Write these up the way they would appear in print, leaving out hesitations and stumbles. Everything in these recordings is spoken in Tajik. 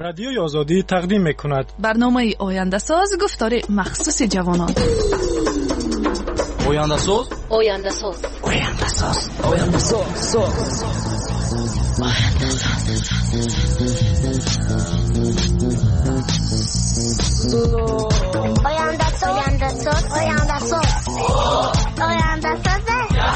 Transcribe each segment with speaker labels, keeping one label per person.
Speaker 1: Радиои Озодӣ тақдим мекунад.
Speaker 2: Барномаи Ояндасоз, гуфтори махсуси ҷавонон.
Speaker 3: Ояндасоз,
Speaker 4: Ояндасоз,
Speaker 3: Ояндасоз, Ояндасоз,
Speaker 5: Ояндасоз, Ояндасоз, Ояндасоз, Ояндасоз.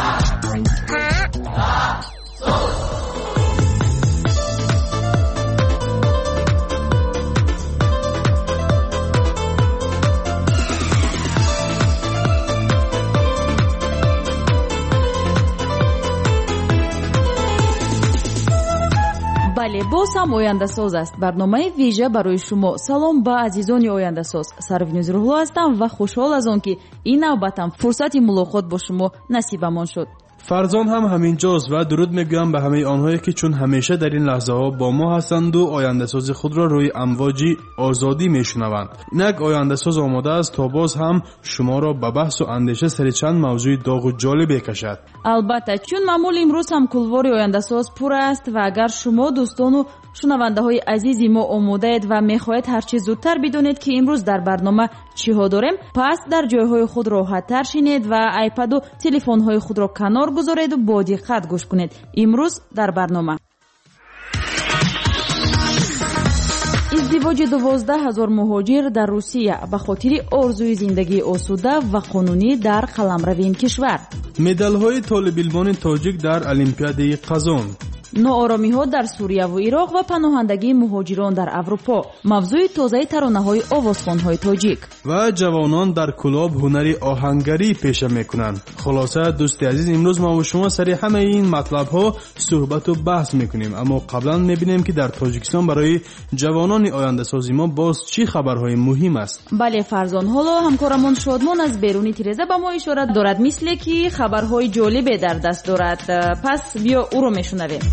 Speaker 6: Бале, боз ҳам Ояндасоз аст. Барномаи вижа барои шумо. Салом ба азизони Ояндасоз. Сарвинӯз Рӯҳло ҳастам ва хушҳол аз он, ки ин навбатам фурсати мулоқот бо шумо насибамон шуд.
Speaker 7: Фарзон ҳам ҳамин ҷост ва дуруд мегӯям ба ҳамаи онҳое, ки чун ҳамеша дар ин лаҳзаҳо бо мо ҳастанду ояндасози худро рӯи амвоҷи озодӣ мешунаванд. Инак Ояндасоз омода аст то боз ҳам шуморо ба баҳсу андеша сари чанд мавзӯи доғу ҷолибе кашад.
Speaker 6: Албатта, чун маъмул имрӯз ҳам кулвори Ояндасоз пур аст ва агар шумо дӯстону шунавандаҳои азизи мо омодаед ва мехоҳед ҳарчи зудтар бидонед, ки имрӯз дар барнома чиҳо дорем, пас дар ҷойҳои худ роҳаттар шинед ва айпаду телефонҳои худро канор гузореду бо диққат гӯш кунед. Имрӯз дар барнома издивоҷи 12 000 муҳоҷир дар Русия ба хотири орзуи зиндагии осуда ва қонунӣ дар қаламрави ин кишвар,
Speaker 7: медалҳои толибилмони тоҷик дар Олимпиадаи Қазон,
Speaker 6: нооромиҳо дар Сурияву Ироқ ва паноҳандагии муҳоҷирон дар Аврупо, мавзӯи тозаи таронаҳои овозхонҳои тоҷик
Speaker 7: ва ҷавонон дар Кӯлоб ҳунари оҳангарӣ пеша мекунанд. Хулоса, дӯсти азиз, имрӯз мо бо шумо сари ҳамаи ин матлабҳо суҳбату баҳс мекунем. Аммо қаблан мебинем, ки дар Тоҷикистон барои ҷавонони ояндасози мо боз чӣ хабарҳои муҳим аст.
Speaker 6: Бале, Фарзон, ҳоло ҳамкорамон Шодмон аз беруни тиреза ба мо ишора дорад, мисле ки хабарҳои ҷолибе дар даст дорад. Пас биё ӯро мешунавем.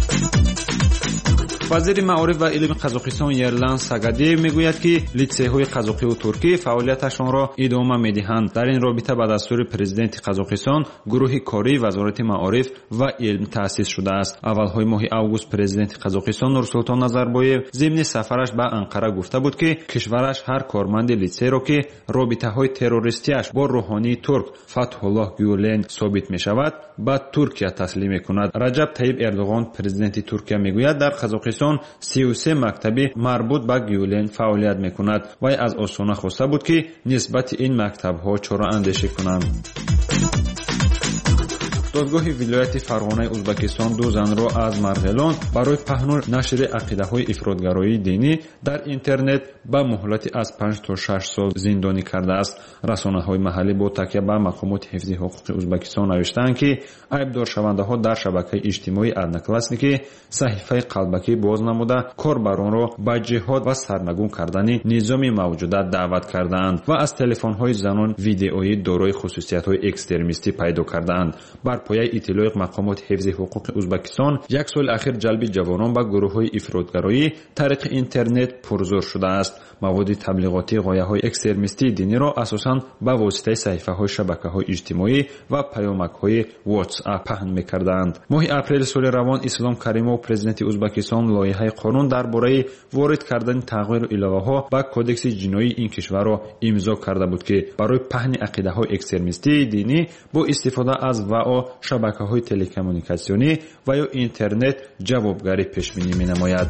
Speaker 8: Вазири маориф ва илми Қазоқистон Ерлан Сагадиев мегӯяд, ки литсейҳои қазоқиву туркӣ фаъолияташонро идома медиҳанд. Дар ин робита ба дастури президенти Қазоқистон гурӯҳи кории Вазорати маориф ва илм таъсис шудааст. Аввалҳои моҳи август президенти Қазоқистон Нурсултон Назарбоев зимни сафараш ба Анқара гуфта буд, ки кишвараш ҳар корманди литсейро, ки робитаҳои террористиаш бо рӯҳонии турк Фатҳуллоҳ Гюлен собит мешавад, ба Туркия таслим мекунад. Раҷаб Таиб Эрдоғон, президенти Туркия, мегӯяд, дар Қазоқистон 33 мактаби марбут ба Гюлен фаъолият мекунад. Вай аз Остона хоста буд, ки нисбати ин мактабҳо чораандешӣ кунанд. Додгоҳи вилояти Фарғонаи Узбакистон ду занро аз Марғелон барои паҳну нашри ақидаҳои ифротгароии динӣ дар интернет ба муҳлати аз 5 то 6 сол зиндонӣ кардааст. Расонаҳои маҳаллӣ бо такя ба мақомоти ҳифзи ҳуқуқи Узбакистон навиштаанд, ки айбдоршавандаҳо дар шабакаи иҷтимоии Одноклассники саҳифаи қалбакӣ боз намуда, корбаронро ба ҷиҳод ва сарнагун кардани низоми мавҷуда даъват кардаанд ва аз телефонҳои занон видеои дорои хусусиятҳои экстремистӣ пайдо кардаанд. Бар пояи иттилои мақомоти ҳифзи ҳуқуқи Узбакистон, як соли ахир ҷалби ҷавонон ба гурӯҳҳои ифротгароӣ тариқи интернет пурзӯр шудааст. Маводи таблиғотии ғояҳои экстремистии диниро асосан ба воситаи саҳифаҳои шабакаҳои иҷтимоӣ ва паёмакҳои WhatsApp паҳн мекарданд. Моҳи апрели соли равон Ислом Каримов, президенти Узбакистон, лоиҳаи қонун дар бораи ворид кардани тағйиру иловаҳо ба кодекси ҷиноии ин кишварро имзо карда буд, ки барои паҳни ақидаҳои экстремистии динӣ бо истифода аз вао шабакаҳои телекоммуникатсионӣ ва ё интернет ҷавобгарӣ пешбинӣ менамояд.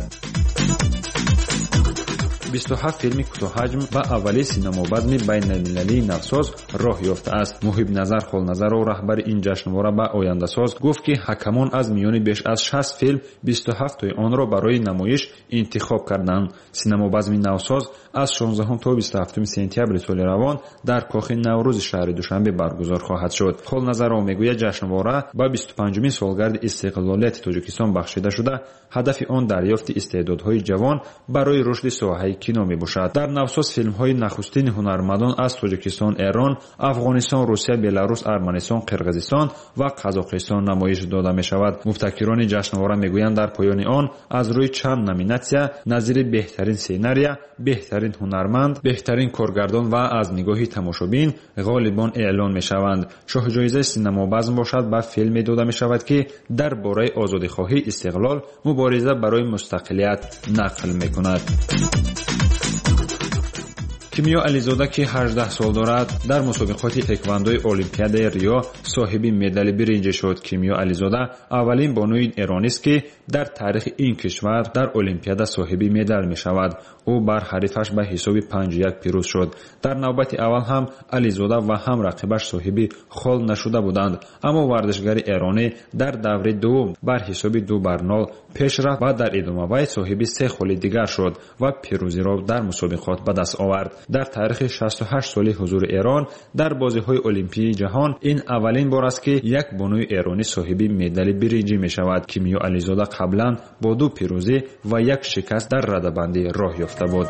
Speaker 8: 27 филми кӯтоҳаҷм ба аввали синамобазми байналмилалии Навсоз роҳ ёфтааст. Муҳибназар Холназаров, раҳбари ин ҷашнвора, ба Ояндасоз гуфт, ки ҳакамон аз миёни беш аз 60 филм 27тои онро барои намоиш интихоб карданд. Синамобазми Навсоз аз 16 то 27 сентябри соли равон дар Кохи Наврӯзи шаҳри Душанбе баргузор хоҳад шуд. Холназаров мегӯяд, ҷашнвора ба 25-умин солгарди истиқлолияти Тоҷикистон бахшида шуда, ҳадафи он дарёфти истеъдодҳои ҷавон барои рушди соҳаи кино мебошад. Дар Навсоз филмҳои нахустини ҳунармандон аз Тоҷикистон, Эрон, Афғонистон, Русия, Беларус, Арманистон, Қирғизистон ва Қазоқистон намоиш дода мешавад. Мубтакирони ҷашнвора мегӯянд, дар поёни он аз рӯи чанд номинатсия назири беҳтарин сценария, беҳтарин ҳунарманд, беҳтарин коргардон ва аз нигоҳи тамошобин ғолибон эълон мешаванд. Шоҳҷоизаи синамобазм бошад ба филме дода мешавад, ки дар бораи озодихоҳӣ, истиқлол, мубориза барои мустақилият нақл мекунад. Кимиё Ализода, ки 18 сол дорад, дар мусобиқоти тэквондои Олимпиадаи Рио соҳиби медали биринҷӣ шуд. Кимиё Ализода аввалин бонуи эронист, ки дар таърихи ин кишвар дар Олимпиада соҳиби медал мешавад. Ӯ бар ҳарифаш ба ҳисоби 5-1 пирӯз шуд. Дар навбати аввал ҳам Ализода ва ҳам рақибаш соҳиби хол нашуда буданд, аммо варзишгари эронӣ дар даври дуввум бар ҳисоби 2-0 пеш рафт ва дар идома вай соҳиби се холи дигар шуд ва пирӯзиро дар мусобиқот ба даст овард. Дар таърихи 68 соли ҳузури Эрон дар бозиҳои Олимпии ҷаҳон ин аввалин бор аст, ки як бонуи эронӣ соҳиби медали биринҷӣ мешавад. Кимиё Ализода қаблан бо 2 пирӯзӣ ва як шикаст дар радабандӣ роҳ ёфта буд.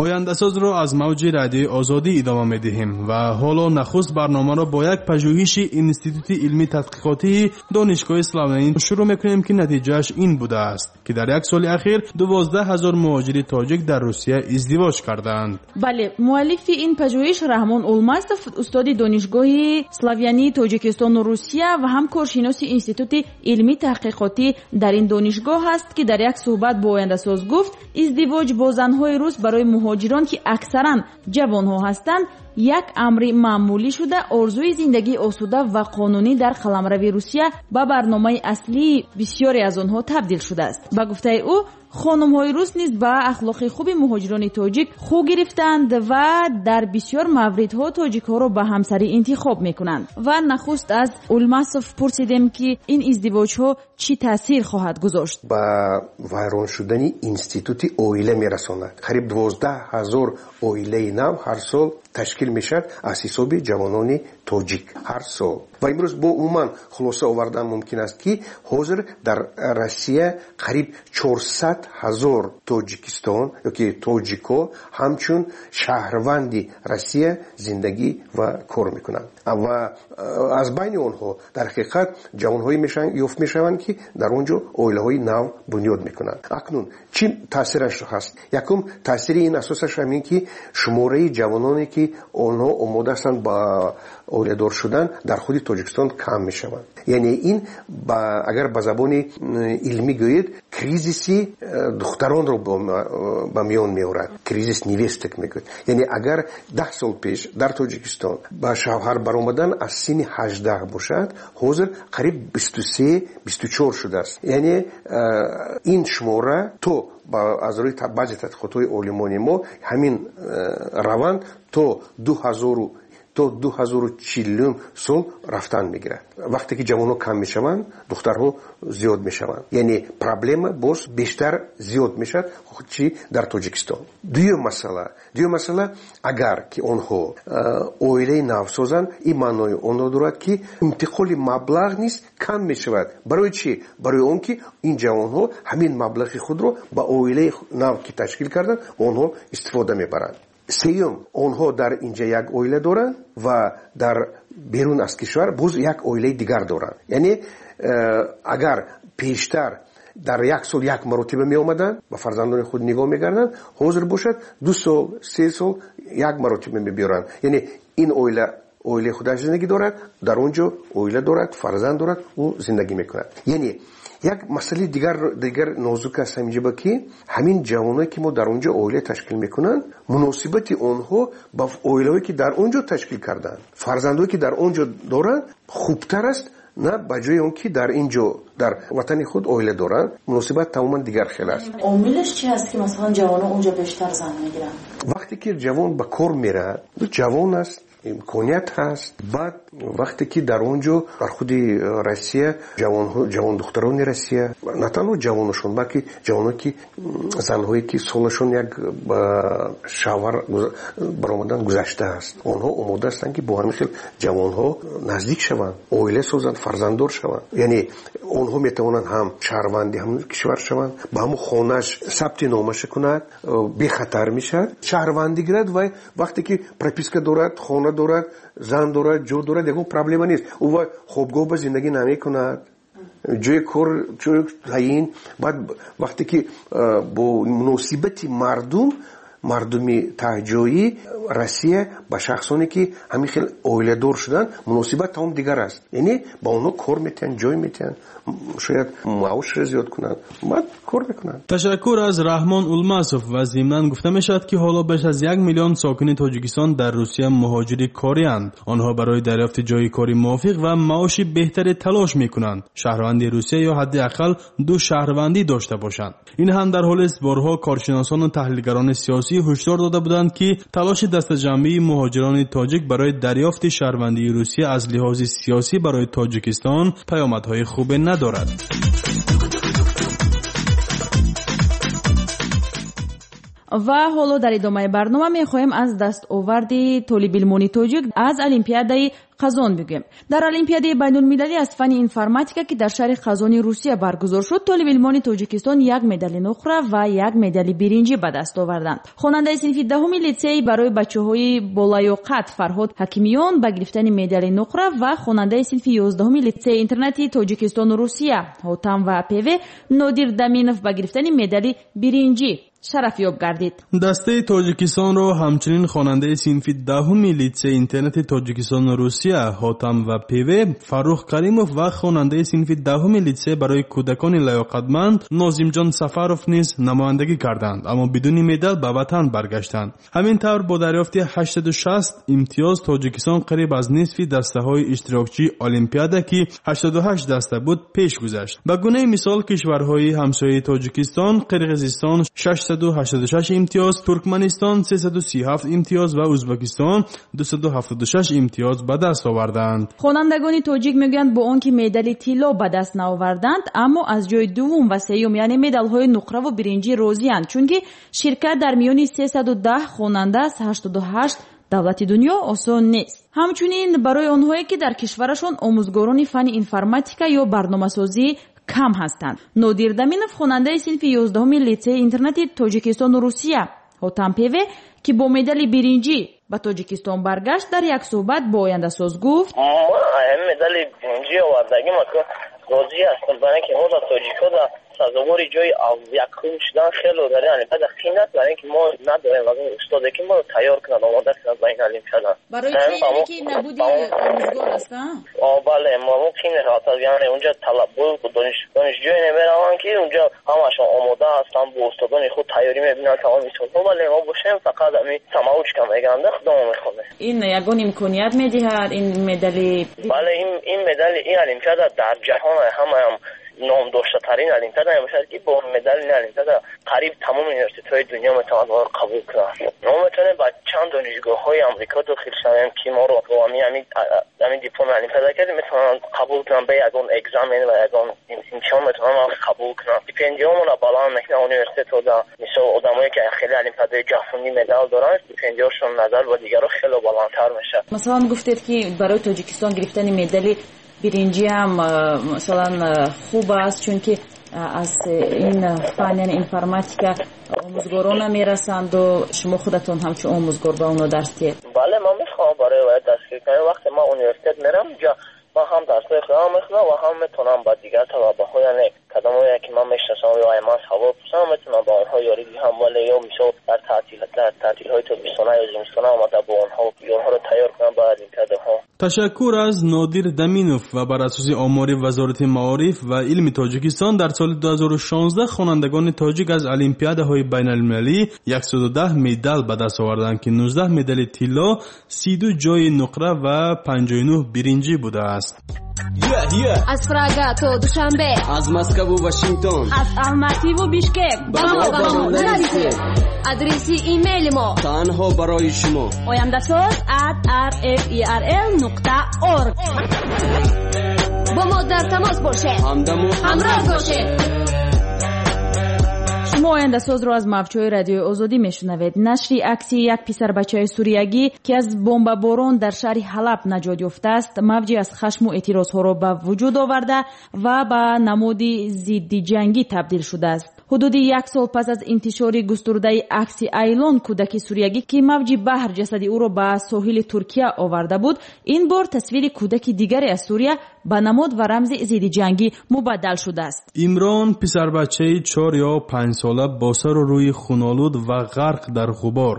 Speaker 7: Ояндасозро аз мавҷи радиои Озодӣ идома медиҳем ва ҳоло нахуст барномаро бо як пажӯҳиши Институти илмии тадқиқотии Донишгоҳи Славянӣ шурӯъ мекунем, ки натиҷааш ин будааст, ки дар як соли ахир 12 ҳазор муҳоҷири тоҷик дар Русия издивоҷ кардаанд.
Speaker 6: Бале, муаллифи ин пажӯҳиш Раҳмон Улмасов, устоди Донишгоҳи Славянии Тоҷикистону Русия ва ҳам коршиноси Институти илмии таҳқиқотӣ дар ин донишгоҳ аст, ки дар як суҳбат бо Ояндасоз гуфт, издивоҷ бо занҳои рус барои муҳоҷирон, ки аксаран ҷавонҳо ҳастанд, як амри маъмулӣ шуда, орзуи зиндагии осуда ва қонунӣ дар қаламрави Русия ба барномаи аслии бисёре аз онҳо табдил шудааст. Ба гуфтаи ӯ, хонумҳои рус низ ба ахлоқи хуби муҳоҷирони тоҷик хӯ гирифтанд ва дар бисёр мавридҳо тоҷикҳоро ба ҳамсарӣ интихоб мекунанд. Ва нахуст аз Улмасов пурсидем, ки ин издивоҷҳо чӣ таъсир хоҳад гузошт.
Speaker 4: Ба вайрон шудани институти оила мерасонад. Қариб 12 ҳазор оилаи нав ҳар сол ташкил мешавад аз ҳисоби ҷавонони тоҷик ҳар сол. Ва имрӯз бо умуман хулоса овардан мумкин аст, ки ҳозир дар Россия қариб 400 ҳазор Тоҷикистон ёки тоҷико ҳамчун шаҳрванди Россия зиндагӣ ва кор мекунанд. Ва аз байни онҳо дар ҳақиқат ҷавонҳое ёфт мешаванд, ки дар он ҷо оилаҳои нав бунёд мекунанд. Акнун чӣ таъсираш ҳаст? Якум таъсири ин асосаш ҳамин, ки шумораи ҷавононе, ки онҳо омода ҳастанд ба оиладор шудан, дар худи Тоҷикистон кам мешаванд. Яъне ин агар ба забони илмӣ гӯед, кризиси духтаронро ба миён меорад. Кризис невесток мегӯяд. Яъне агар 10 сол пеш дар Тоҷикистон ба шавҳар баромадан аз синни 18 бошад, ҳозир қариб 23-24 шудааст. Яъне ин шумора то аз рӯи баъзе тадқиқотҳои олимони мо ҳамин раванд то 2040 сол рафтан мегирад. Вақте ки ҷавонҳо кам мешаванд, духтарҳо зиёд мешаванд. Яъне проблема боз бештар зиёд мешавад, чи дар Тоҷикистон. Дуюм масъала, агар ки онҳо оилаи нав созанд, ин маънои онро дорад, ки интиқоли маблағ низ кам мешавад. Барои чӣ? Барои он ки ин ҷавонҳо ҳамин маблағи худро ба оилаи нав ки ташкил карданд, онҳо истифода мебаранд. Сеюм, онҳо дар инҷа як оила доранд ва дар берун аз кишвар боз як оилаи дигар доранд. Яъне агар пештар дар як сол як маротиба меомаданд, ба фарзандони худ нигоҳ мекарданд, ҳозир бошад 2 сол, 3 сол як маротиба мебиёранд. Яъне ин оила оилаи худаш зиндагӣ дорад, дар он ҷо оила дорад, фарзанд дорад, ӯ зиндагӣ мекунад. Яъне як масъалаи дигар нозук аст ҳаминҷоба, ки ҳамин ҷавоное, ки мо дар он ҷо оила ташкил мекунанд, муносибати онҳо ба оилаҳое, ки дар он ҷо ташкил карданд, фарзандое, ки дар он ҷо доранд, хубтар аст на ба ҷои он ки дар ин ҷо дар ватани худ оила доранд. Муносибат тамоман дигар хел аст.
Speaker 6: Омилаш чи аст, ки масалан ҷавонон он ҷо бештар зан мегиранд?
Speaker 4: Вақте ки ҷавон ба кор меравад, ҷавон аст, имконият ҳаст. Баъд вақте ки дар он ҷо дар худи Россия ҷавондухтарони Россия, на танҳо ҷавоношон, балки ҷавоное ки занҳое ки солашон як ба шавҳар баромадан гузаштааст, онҳо омода ҳастанд, ки бо ҳамин хел ҷавонҳо наздик шаванд, оила созанд, фарзанддор шаванд. Яъне онҳо метавонанд ҳам шаҳрванди ҳамон кишвар шаванд, ба ҳамон хонааш сабти номаша кунад, бехатар мешавад, шаҳрвандӣ гирад ва вақте ки прописка дорад, хона дорад, зан дорад, ҷо дорад, ягон проблема нест. Ӯ хобгоҳ ба зиндагӣ намекунад, ҷои кор, ҷои таъин. Баъд вақте ки бо муносибати мардуми таҳҷоӣ Россия ба шахсоне, ки ҳамин хел оиладор шуданд, муносибат тамом дигар аст. Яъне ба онҳо кор метиҳанд, ҷой метиҳанд, шояд маошро зиёд кунанд, баъд кор мекунанд.
Speaker 7: Ташаккур аз Раҳмон Улмасов. Ва зимнан гуфта мешавад, ки ҳоло беш аз 1 миллион сокини Тоҷикистон дар Русия муҳоҷири корианд. Онҳо барои дарёфти ҷои кори мувофиқ ва маоши беҳтаре талош мекунанд. Шаҳрванди Русия ё ҳадди ақал 2 шаҳрвандӣ дошта бошанд. Ин ҳам дар ҳолест борҳо коршиносону таҳлилгарони сиёсӣ ҳушдор дода буданд, ки талоши дастаҷамъии муҳоҷирони тоҷик барои дарёфти шаҳрвандии Русия аз лиҳози сиёсӣ барои Тоҷикистон паёмадҳои хубе надорад.
Speaker 6: Ва ҳоло дар идомаи барнома мехоҳем аз дастоварди толибилмони тоҷик аз Олимпиадаи Қазон бигӯем. Дар Олимпиадаи байнулмилалӣ аз фанни информатика, ки дар шаҳри Қазони Русия баргузор шуд, толибилмони Тоҷикистон 1 медали нуқра ва 1 медали биринҷӣ ба даст оварданд. Хонандаи синфи 10-уми литсей барои бачаҳои болаёқат Фарҳод Ҳакимиён ба гирифтани медали нуқра ва хонандаи синфи 11-уми литсеи интернати Тоҷикистону Русия Ҳотам ва ПВ Нодир Даминов ба гирифтани медали биринҷӣ шарафёб гардид.
Speaker 7: Дастаи Тоҷикистонро ҳамчунин хонандаи синфи 10-уми литсеи интернати Тоҷикистону Русия Ҳотам ва ПВ Фаррух Каримов ва хонандаи синфи 10-уми литсей барои кӯдакони лаёқатманд Нозимҷон Сафаров низ намояндагӣ карданд, аммо бидуни медал ба ватан баргаштанд. Ҳамин тавр бо дарёфти 860 имтиёз Тоҷикистон қариб аз нисфи дастаҳои иштирокчии Олимпиада, ки 88 даста буд, пеш гузашт. Ба гунаи мисол кишварҳои ҳамсояи Тоҷикистон Қирғизистон 686 имтиёз, Туркманистон 337 имтиёз ва Ӯзбекистон 276 имтиёз ба даст оварданд.
Speaker 6: Хонандагони тоҷик мегӯянд, бо он ки медали тилло ба даст наоварданд, аммо аз ҷои дуввум ва сеюм, яъне медалҳои нуқраву биринҷӣ розианд, чунки ширкат дар миёни 310 хонанда аз 88 давлати дунё осон нест. Ҳамчунин барои онҳое, ки дар кишварашон омӯзгорони фанни информатика ё барномасозӣ кам ҳастанд. Нодир Даминов, хонандаи синфи 11-уми литсеи интернати Тоҷикистону Русия Ҳотам Певе, ки бо медали биринҷӣ ба Тоҷикистон баргашт, дар як суҳбат бо Ояндасоз гуфт:
Speaker 9: Ман медали биринҷӣ овардагим, розӣ ҳастам, барои инки мо дар тоҷикҳо дар сазовори ҷои якум шудан хеле дар ин олимпиада қин аст, барои инки мо надорем аз он устоде, ки моро тайёр кунад, омода кунад ба ин олимпиада.
Speaker 6: Барои чи? Яъне ки набуди омӯзгор аст?
Speaker 9: Бале, мо қин мешавад, яъне унҷа талабо донишҷӯе намераванд, ки унҷа ҳамашон омода ҳастанд, бо устодони худ тайёрӣ мебинанд тамоми солҳо, вале мо бошем фақат ҳамин самоучка мегӯянд, худамон мехонем.
Speaker 6: Ин ягон имконият медиҳад ин медали?
Speaker 9: Бале, ин медали, ин олимпиада дар ҷаҳон ҳамаам номдоштатарин олимпиада мебошад, ки бо медали ин олимпиада қариб тамоми университетҳои дунё метавонанд моро қабул кунанд. Мо метавонем ба чанд донишгоҳҳои Амрико дохил шавем, ки моро бо ҳамин дипломи олимпиада кардем, метавонанд қабул кунанд, ба ягон экзамен ва ягон имтиҳон метавонанд қабул кунанд. Стипендиҳомонро баланд мекунанд университетҳо. Мисол, одамое, ки хеле олимпиадаи ҷаҳонӣ медал доранд, стипендиҳошон назар ба дигарро хеле баландтар мешавад.
Speaker 6: Масалан, гуфтед, ки барои Тоҷикистон гирифтани медали биринҷиам масалан хуб аст, чунки аз ин фан, яъне информатика, омӯзгорон намерасанду шумо худатон ҳамчун омӯзгор ба онҳо дарс диҳед.
Speaker 9: Бале, ман мехоҳам барои вай дастгирӣ кунам. Вақте ман университет мерам, унҷа ман ҳам дарсҳои худам мехонам ва ҳам метавонам ба дигар талабаҳо, яъне кадомое, ки ман мешиносам ё ай ман савол пурсам, метавонам ба онҳо ёрӣ диҳам, вале ё мисол дар таътилҳои тобистона ё зимистона омада бо онҳо онҳоро тайёр кунам ба олимпиадаҳо.
Speaker 7: Ташаккур аз Нодир Даминов. Ва бар асоси омори Вазорати маориф ва илми Тоҷикистон дар соли 2016 хонандагони тоҷик аз олимпиадаҳои байналмилалӣ 110 медал ба даст оварданд, ки 19 медали тилло, 32 ҷои нуқра ва 59 биринҷӣ будааст.
Speaker 10: Аз Прага то Душанбе,
Speaker 3: аз Москву Вашингтон,
Speaker 6: аз Алмативу Бишкек
Speaker 3: ба мо нависед.
Speaker 10: Адреси имейли мо
Speaker 3: танҳо барои шумо:
Speaker 6: ояндасоз@rferl.org.
Speaker 10: Бо мо дар тамос бошед,
Speaker 3: ҳамдаму
Speaker 10: ҳамроҳ бошед.
Speaker 6: Шумо Ояндасозро аз мавҷҳои Радиои Озодӣ мешунавед. Нашри акси як писарбачаи суриягӣ, ки аз бомбаборон дар шаҳри Ҳалаб наҷот ёфтааст, мавҷе аз хашму эътирозҳоро ба вуҷуд оварда ва ба намуди зиддиҷангӣ табдил шудааст. Ҳудуди як сол пас аз интишори густурдаи акси Айлон, кӯдаки суриягӣ, ки мавҷи баҳр ҷасади ӯро ба соҳили Туркия оварда буд, ин бор тасвири кӯдаки дигаре аз Сурия ба намод ва рамзи зиддиҷангӣ мубаддал шудааст.
Speaker 7: Имрон, писарбачаи 4 ё 5 сола бо сару рӯи хунолуд ва ғарқ дар ғубор.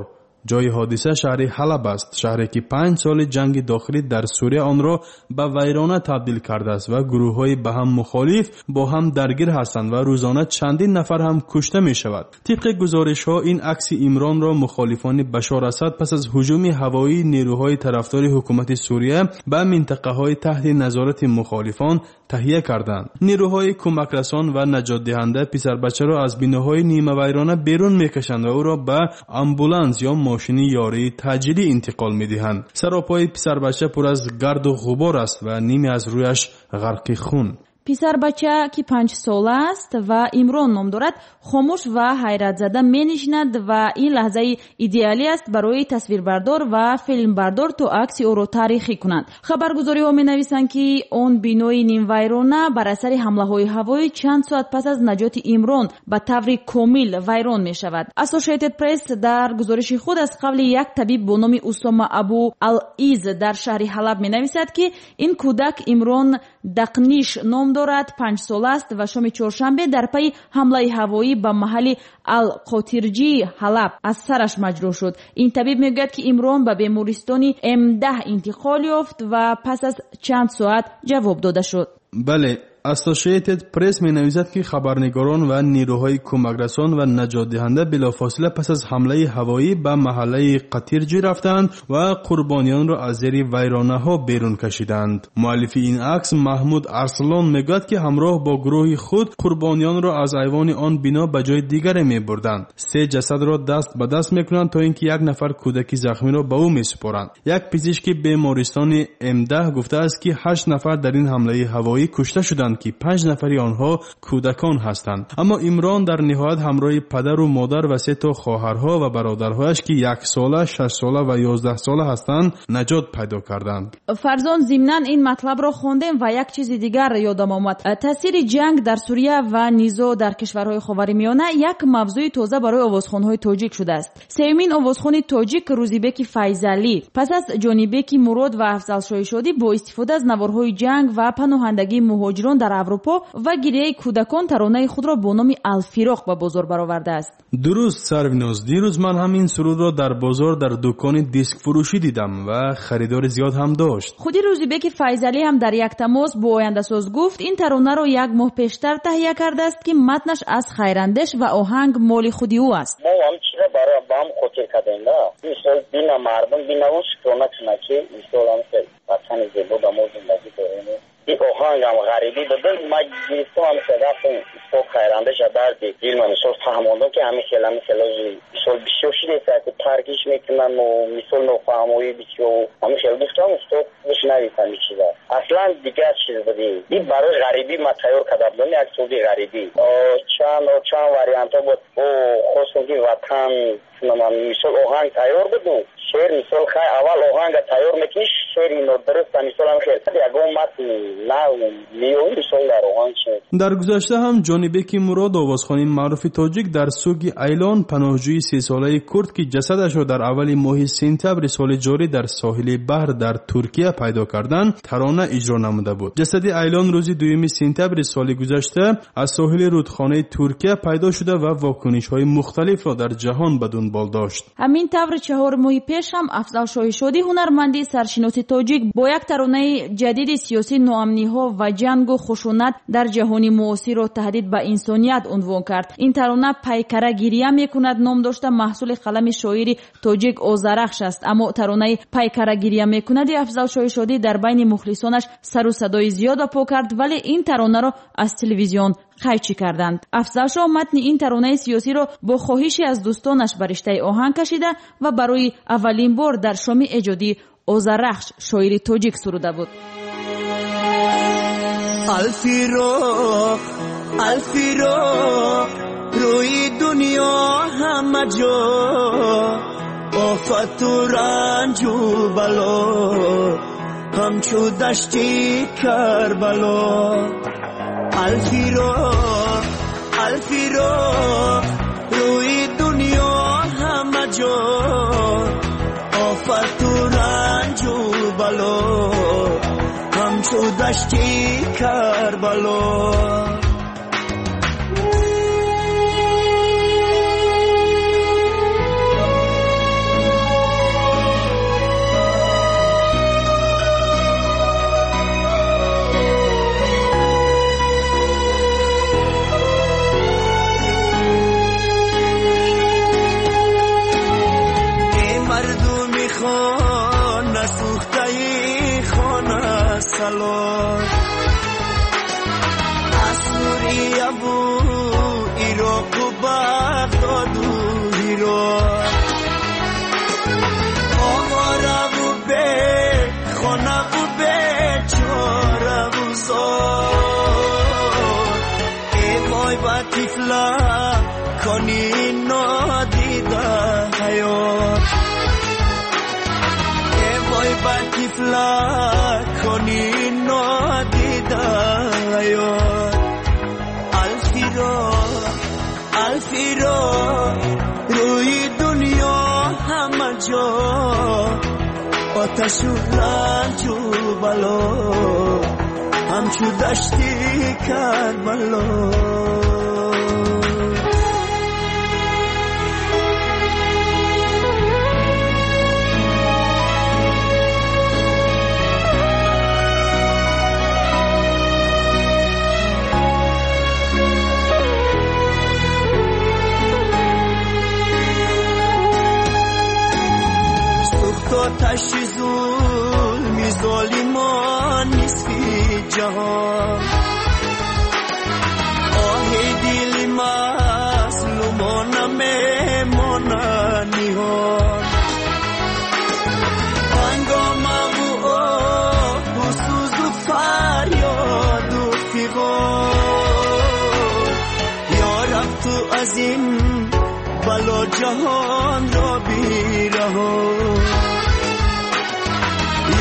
Speaker 7: Ҷои ҳодиса шаҳри Ҳалаб аст, шаҳре, ки 5 соли ҷанги дохилӣ дар Сурия онро ба вайрона табдил кардааст ва гурӯҳҳои ба ҳам мухолиф бо ҳам даргир ҳастанд ва рӯзона чандин нафар ҳам кушта мешавад. Тибқи гузоришҳо, ин акси Имронро мухолифони Башор Асад пас аз ҳуҷуми ҳавоии нерӯҳои тарафдори ҳукумати Сурия ба минтақаҳои таҳти назорати мухолифон таҳия карданд. Нерӯҳои кӯмакрасон ва наҷотдиҳанда писарбачаро аз биноҳои нимавайрона берун мекашанд ва ӯро ба амбуланс ё мошини ёрии таъҷилӣ интиқол медиҳанд. Саропои писарбача пур аз гарду ғубор аст ва ниме аз рӯяш ғарқи хун.
Speaker 6: Писарбача, ки 5-сола аст ва Имрон ном дорад, хомӯш ва ҳайратзада менишинад ва ин лаҳзаи идеалӣ аст барои тасвирбардор ва филмбардор, то акси ӯро таърихӣ кунанд. Хабаргузориҳо менависанд, ки он бинои нимвайрона бар асари ҳамлаҳои ҳавоӣ чанд соат пас аз наҷоти Имрон ба таври комил вайрон мешавад. Associated Press дар гузориши худ аз қавли як табиб бо номи Усома Абу Ал-Из дар шаҳри Ҳалаб менависад, ки ин кӯдак Имрон Дақниш ном дорад, 5-сола аст ва шоми чоршанбе дар пайи ҳамлаи ҳавоӣ ба маҳалли Ал-Қотирҷии Ҳалаб аз сараш маҷрӯҳ шуд. Ин табиб мегӯяд, ки Имрон ба бемористони М10 интиқол ёфт ва пас аз чанд соат ҷавоб дода шуд.
Speaker 7: Бале, Associated Press менависад, ки хабарнигорон ва нерӯҳои кӯмакрасон ва наҷотдиҳанда билофосила пас аз ҳамлаи ҳавоӣ ба маҳаллаи Қатирҷӣ рафтанд ва қурбониёнро аз зери вайронаҳо берун кашиданд. Муаллифи ин акс Маҳмуд Арслон мегӯяд, ки ҳамроҳ бо гурӯҳи худ қурбониёнро аз айвони он бино ба ҷои дигаре мебурданд. Се ҷасадро даст ба даст мекунанд, то ин ки як нафар кӯдаки захмиро ба ӯ месупоранд. Як пизишки бемористони М10 гуфтааст, ки 8 нафар дар ин ҳамлаи ҳавоӣ кушта шуданд. шуданд, ки 5 нафари онҳо кӯдакон ҳастанд. Аммо Имрон дар ниҳоят ҳамроҳи падару модар ва 3 то хоҳарҳо ва бародарҳояш, ки 1 сола, 6 сола ва 11 сола ҳастанд, наҷот пайдо карданд.
Speaker 6: Фарзон, зимнан ин матлабро хондем ва як чизи дигар ёдам омад. Таъсири ҷанг дар Сурия ва низоъ дар кишварҳои Ховари Миёна як мавзӯи тоза барои овозхонҳои тоҷик шудааст. Сеюмин овозхони тоҷик Рӯзибеки Файзалӣ пас аз Ҷонибеки Мурод ва Афзалшоҳи Шодӣ бо истифода аз наворҳои ҷанг ва паноҳандагии муҳоҷирон дар Аврупо ва гирияи кӯдакон таронаи худро бо номи Алфироқ ба бозор баровардааст.
Speaker 7: Дуруст, Сарвиноз, дирӯз ман ҳам ин сурудро дар бозор дар дукони дискфурӯшӣ дидам ва харидори зиёд ҳам дошт.
Speaker 6: Худи Рӯзибеки Файзалӣ ҳам дар як тамос бо ояндасоз гуфт, ин таронаро як моҳ пештар таҳия кардааст, ки матнаш аз Хайрандеш ва оҳанг моли худи ӯ аст.
Speaker 9: Мо ҳам чиза барои ба ҳам хотир кардем, да. Мисол бина мардум бинаву шукрона кунад, ки мисол ҳам ватани зебо ба мо зиндагӣ дорем. Ин оҳанг ҳам ғарибӣ буд. Ман гирифтам ҳам рафтам устод Хайрандеша дарди дилма мисол фаҳмондам, ки ҳамин хел ҳамин хел мисол бисёр шудааст, ки таркиш мекунам ва мисол нофаҳмоӣ бисёр ҳамин хел гуфтам, устод бишнавид ҳамин чиза. Аслан дигар чиз буд. Ин барои ғарибӣ ман тайёр карда будам, як суруди ғарибӣ. Чанд вариантҳо буд. Хостам ки ватан мисол оҳанг тайёр буду шеър мисол хай аввал оҳанга тайёр мекунӣ, шеъри нодуруста мисол ҳам хел ягон матн нав меёвӣ мисол дар оҳанг шеър.
Speaker 7: Дар гузашта ҳам Ҷонибеки Мурод, овозхони маъруфи тоҷик, дар суги Айлон паноҳҷӯи 3-солаи курд, ки ҷасадашро дар аввали моҳи сентябри соли ҷорӣ дар соҳили баҳр дар Туркия пайдо карданд, тарона иҷро намуда буд. Ҷасади Айлон рӯзи 2 сентябри соли гузашта аз соҳили рудхонаи Туркия пайдо шуда ва вокунишҳои мухталифро дар ҷаҳон ба дунбол дошт.
Speaker 6: Ҳамин тавр 4 моҳи пеш ҳам Афзалшоҳи Шодӣ, ҳунарманди саршиноси тоҷик, бо як таронаи ҷадиди сиёсӣ ноамниҳо ва ҷангу хушунат дар ҷаҳони муосирро таҳдид ба инсоният унвон кард. Ин тарона «Пайкара гирия мекунад» ном дошта маҳсули қалами шоири тоҷик Озарахш аст. Аммо таронаи «Пайкара гирия мекунади» Афзалшоҳи Шодӣ дар байни мухлисонаш сару садои зиёд ба по кард, вале ин таронаро аз телевизион қайчӣ карданд. Афзалшоҳ матни ин таронаи сиёсиро бо хоҳиши аз дӯстонаш ба риштаи оҳанг кашида ва барои аввалин бор дар шоми эҷодии Озарахш шоири тоҷик суруда буд.
Speaker 11: Алфироқ, Алфироқ, рӯи дунё ҳама ҷо офату ранҷу бало, ҳамчу дашти Карбало. Алфироқ, Алфироқ, рӯи дунё ҳама ҷо офату ранҷу бало, ҳамчу дашти Карбало. از سوریه و عراق و بغداد و هرات، آواره و به خانه و به چاره و زار. ای وای با طفله کنی نادیده حیات، ای وای با طفله کنی نادیده حیات. الفراق، الفراق، روی دنیا همه جا آتش و رنج و بلا، همچو دشتی کربلا. آتش ظلمی ظالمان نصفی جهان، آه دل مظلومان میماند نهان. هنگامه و آه و سوز و فریاد و فغان، بلا جهان را بیرهان.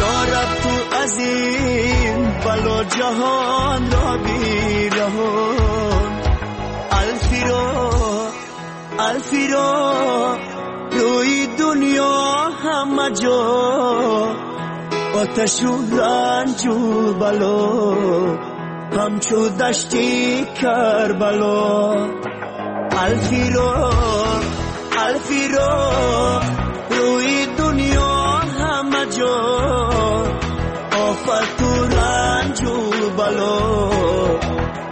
Speaker 11: یا رب تو از این بلا جهان را بیرهان. الفیرا الفیرا روی دنیا همه جا، آتش و رنج و بلا همچو دشتی کربلا. الفیرا الفیرا روی دنیا همه جا، آفت و رنج و بلا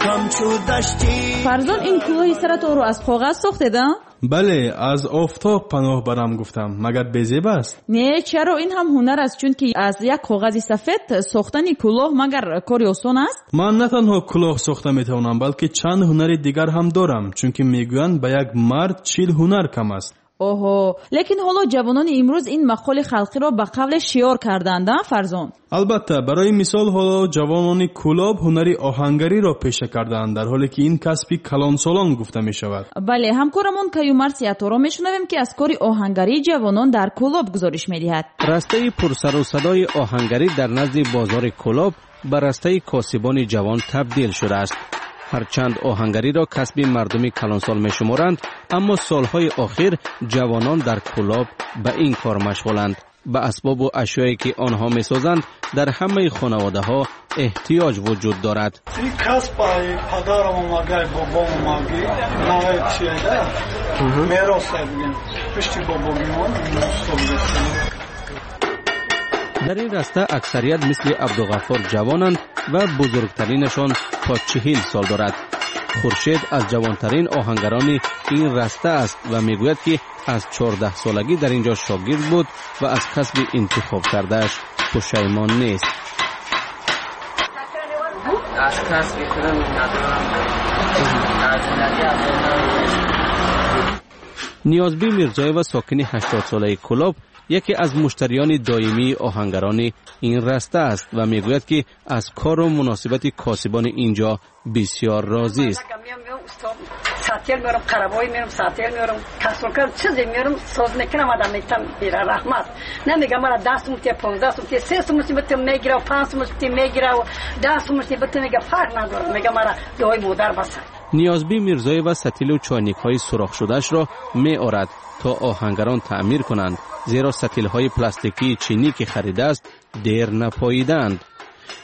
Speaker 11: همچو دشتی.
Speaker 6: Фарзон, ин кӯлоҳи саратонро аз коғаз сохтед, а?
Speaker 7: Бале, аз офтоб паноҳ барам гуфтам. Магар безеб аст?
Speaker 6: Не, чаро, ин ҳам ҳунар аст, чунки аз як коғази сафед сохтани кӯлоҳ магар кори осон аст?
Speaker 7: Ман на танҳо кӯлоҳ сохта метавонам, балки чанд ҳунари дигар ҳам дорам, чунки мегӯянд ба як мард 40 ҳунар кам аст.
Speaker 6: Оҳо, лекин ҳоло ҷавонони имрӯз ин мақоли халқиро ба қавле шиёр карданд, а Фарзон?
Speaker 7: Албатта, барои мисол ҳоло ҷавонони Кӯлоб ҳунари оҳангариро пеша кардаанд, дар ҳоле ки ин касби калонсолон гуфта мешавад.
Speaker 6: Бале, ҳамкорамон Каюмарс Яторо мешунавем, ки аз кори оҳангарии ҷавонон дар Кӯлоб гузориш медиҳад.
Speaker 12: Растаи пурсару садои оҳангарӣ дар назди бозори Кӯлоб ба растаи косибони ҷавон табдил шудааст. Ҳарчанд оҳангариро касби мардуми калонсол мешуморанд, аммо солҳои охир ҷавонон дар Кӯлоб ба ин кор машғуланд. Ба асбобу ашёе ки онҳо месозанд дар ҳамаи хонаводаҳо эҳтиёҷ вуҷуд дорад.
Speaker 13: Ин касб падарам омагай, бобом омаги, наваи чиеда, мероса бигем, пишти бобогимон.
Speaker 12: Дар ин раста аксарият мисли Абдуғаффор ҷавонанд ва бузургтаринашон то 40 сол дорад. Хуршед аз ҷавонтарин оҳангарони ин раста аст ва мегӯяд, ки аз 14 солагӣ дар ин ҷо шогирд буд ва аз касби интихоб кардааш пушаймон нест.
Speaker 14: Аз касби худам надорам. Аз зиндагӣ.
Speaker 12: Ниёзбӣ Мирзоева, сокини 80-солаи Кӯлоб, яке аз муштариёни доимии оҳангарони ин раста аст ва мегӯяд, ки аз кору муносибати косибони ин ҷо бисёр розист.
Speaker 15: Сатил меорам, қарабой меорам, сатил меорам, касолка чизе меорам, соз мекунам, адам метам мера раҳмат. Намегам мара 10 сум те, 15 сум те, 3 сум те мегира, 5 сум те мегира, 10 сум те бите мега, фарқ надорад. Мега мара дуои модар баса.
Speaker 12: Ниёзбӣ Мирзоева сатилу чойникҳои сурохшудаашро меорад то оҳангарон таъмир кунанд, зеро сатилҳои пластикии чинӣ ки харидааст дер напоидаанд.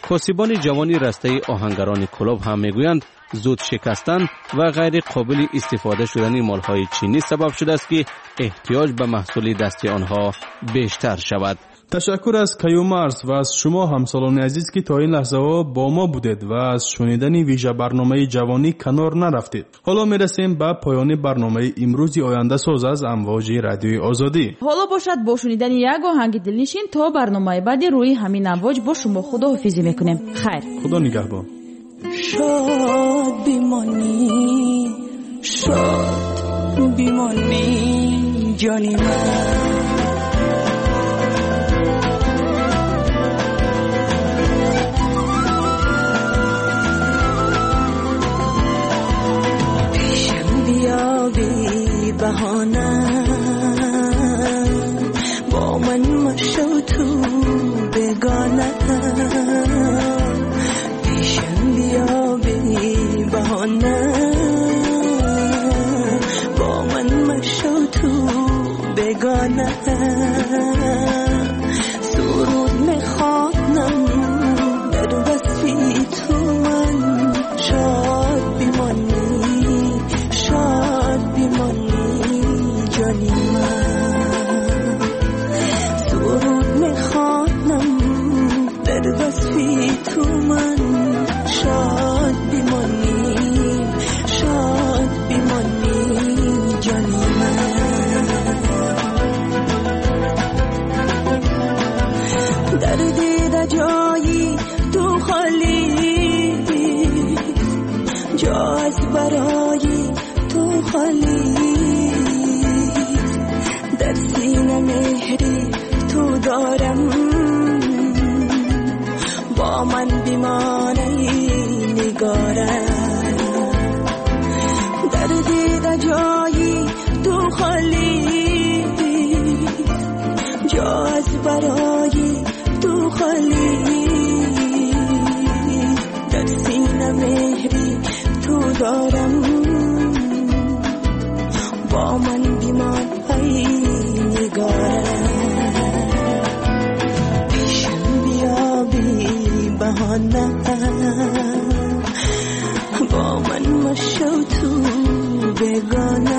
Speaker 12: Косибони ҷавони растаи оҳангарони Кӯлоб ҳам мегӯянд, зуд шикастан ва ғайри қобили истифода шудани молҳои чинӣ сабаб шудааст, ки эҳтиёҷ ба маҳсули дасти онҳо бештар шавад.
Speaker 7: Ташаккур аз Каюмарс ва аз шумо ҳамсолони азиз, ки то ин лаҳзаҳо бо мо будед ва аз шунидани вижабарномаи ҷавонӣ канор нарафтед. Ҳоло мерасем ба поёни барномаи имрӯзи ояндасоз аз амвоҷи радиои Озодӣ.
Speaker 6: Ҳоло бошад бо шунидани як оҳанги дилнишин то барномаи баъди рӯи ҳамин амвоҷ бо шумо худоҳофизӣ мекунем. Хайр,
Speaker 7: худо нигаҳбон.
Speaker 16: Шод бимонӣ, шод бимонӣ ҷони ман. بی بهانه با من مشو تو بگانه، پیشم بیا بی بهانه با من مشو تو بگانه. سرود میخوانم در وصفی تو من، شاد بمانی شاد بمانی جانی من. سرود میخوانم در وصفی تو من، شاد بمانی شاد بمانی جانی من. در دیده جایی تو خالی، جا از برای تو خالی، در سینه مهری تو دارم، با من بیمانه نگارم. در دیده جایی تو خالی خالی، در سینه مهری تو دارم، با من بیمان ای نگارم. پیشم بیا بی بهانه، با من مشو تو بگانه.